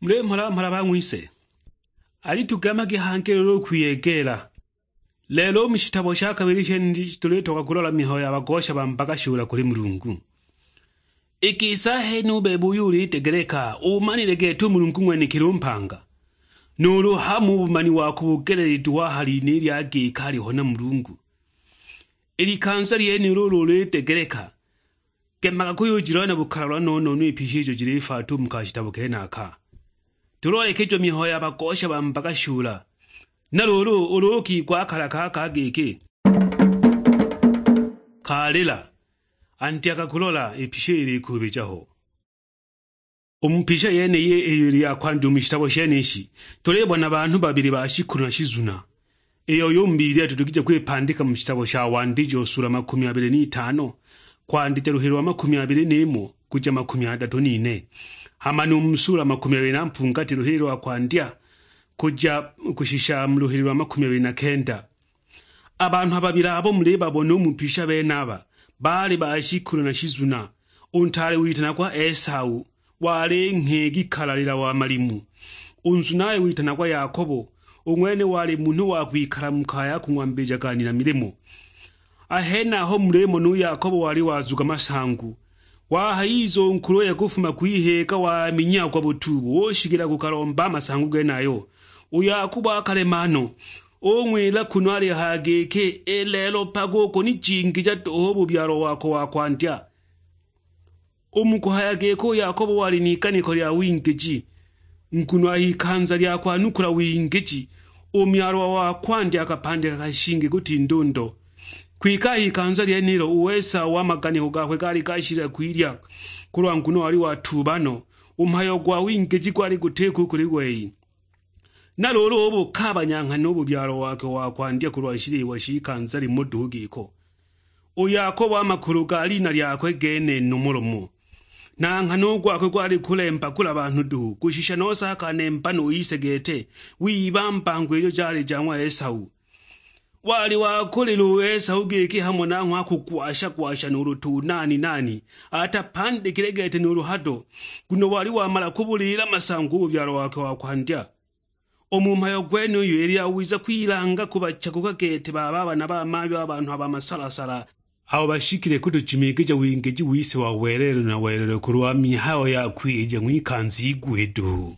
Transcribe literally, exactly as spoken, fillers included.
Muli mhola mhola bang'wise, alitugema gihangile ulu kwiyegeela. Lelo u mu shitabo sha kabili sheniji tulitoka kulola mihayo ya bagosha ba mbaga shula kuli Mulungu. Iki isa hene u bebe uyo ulitegeleka, umanile gete u Mulungu ng'wenekili u mpanga, nuulu hamo u bumani wa ku bugeleelilwe ha lina lya giki aliho na Mulungu. I likanza lyenilo ulu ulitegeleka, gemaga kuyujilola na bukalalwa no-no-no i pyi ijo jilifaata u mu kashitabo kenaka. Tuloolekejiwe mihayo ya bagosha ba mbaga shula. Na luulu ulu ukigwa akala kaka giki, "Kalila, anti akakulola i pyi ilikuubija ho." U mu pisha yeniyi iyo ili ya kwandya u mu shitabo shenishi, tulibona banhu babili ba shikulu na shizuna. Iyo uyu mu Biblia tudugije kwipandika mu shitabo sha Wandijo sula makumi abili n'itano, kwandija luhilo lwa makumi abili n'imo kuja makumi adatu n'ine, hama nu mu sula makumi abili na mpungati luhilo lwa kwandya kuja kushisha mu luhilo lwa makumi abili na kenda. A banhu a babili abo mulibabona u mu pisha benaba, baali ba shikulu na shizuna. U ntaale witanagwa Esau, wali nghegi kalalila wa malimu. U nzunaye witanagwa Yakobo, u ng'wene wali munhu wa kwikala mu kaya ya kung'wambija gani na milimo. A henaho mulimo nu Yakobo wali wazuga masangu. Wahayiza u nkuluye kufuma kwiheeka waminyiagwa butuubu, ushikila kukalomba a masangu genayo. U Yakobo akalema no, ung'wila kunu alihaya giki, "I lelo mpaka ukunijingija duhu u bubyalo wako wa kwandya." U mu kuhaya giki u Yakobo wali n'iganiko lya wingiji, nguno a h'ikanza lya kwanukula wingiji, u myalwa wa kwandya akapandika kashingi kutinda u ndo. Kwike a h'ikanza lyenilo u Esau a maganiko gakwe gaali gashilile kwilya, kulwa nguno wali watuuba no, u mhayo gwa wingiji gwali gutiko u kuli wei. Na luulu ubukaabanya nghana u bubyalo wakwe wa kwandya kulwa shiliwa shikanza limo duhu giko. U Yakobo a makulu ga lina lyakwe gene nomo lomo. Na nghana u gwakwe gwali kulemba kula banhu duhu, kushisha nose akanemba nu ise gete, wiba mbango ijo jali ja ng'wa Esau. Wali wakulila u Esau giki hamo nang'ho akugwasha-gwasha nuulu tu nani-nani, atapandikile gete nuulu hado, nguno wali wamala kubuliila masangu u bubyalo wakwe wa kwandya. U mu mhayo gwenuyu, ili yawiza kwilanga kubachaguka gete ba baba na bamayo a banhu a ba masalasala, abo bashikile kutujimikija wingiji wise wa welelo na welelo kulwa mihayo ya kwilija ng'wikanza igwe duhu.